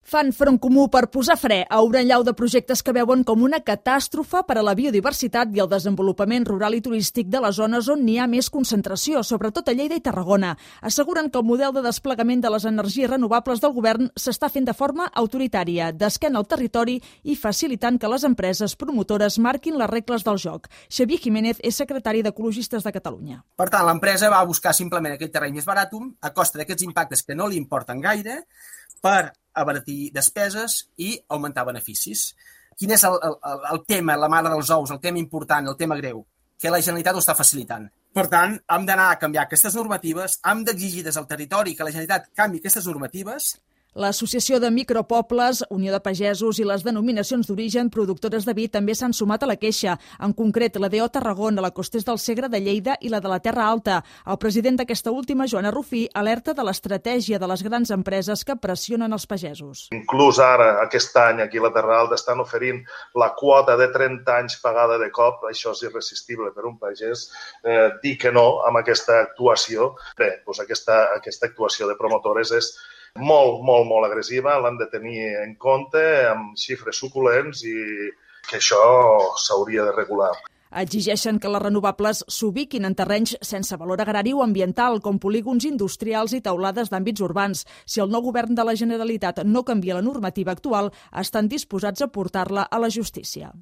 Fan front comú per posar fre a una allau de projectes que veuen com una catàstrofe per a la biodiversitat i el desenvolupament rural i turístic de les zones on n'hi ha més concentració, sobretot a Lleida i Tarragona. Asseguren que el model de desplegament de les energies renovables del govern s'està fent de forma autoritària, d'esquena al territori i facilitant que les empreses promotores marquin les regles del joc. Xavier Jiménez és secretari d'Ecologistes de Catalunya. Per tant, l'empresa va buscar simplement aquell terreny més barat a costa d'aquests impactes que no li importen gaire per abaratir despeses i augmentar beneficis. Quin és el tema, la mare dels ous, el tema important, el tema greu? Que la Generalitat ho està facilitant. Per tant, hem d'anar a canviar aquestes normatives, hem d'exigir des del territori que la Generalitat canviï aquestes normatives. L'Associació de Micropobles, Unió de Pagesos i les denominacions d'origen productores de vi també s'han sumat a la queixa. En concret, la DO Tarragona, la Costers del Segre de Lleida i la de la Terra Alta. El president d'aquesta última, Joan Arrufí, alerta de l'estratègia de les grans empreses que pressionen els pagesos. Inclús ara, aquest any, aquí a la Terra Alta estan oferint la quota de 30 anys pagada de cop. Això és irresistible per un pagès. Dir que no amb aquesta actuació. Bé, doncs aquesta actuació de promotores és molt agressiva, l'han de tenir en compte amb xifres suculents i que això s'hauria de regular. Exigeixen que les renovables s'ubiquin en terrenys sense valor agrari o ambiental, com polígons industrials i teulades d'àmbits urbans. Si el nou govern de la Generalitat no canvia la normativa actual, estan disposats a portar-la a la justícia.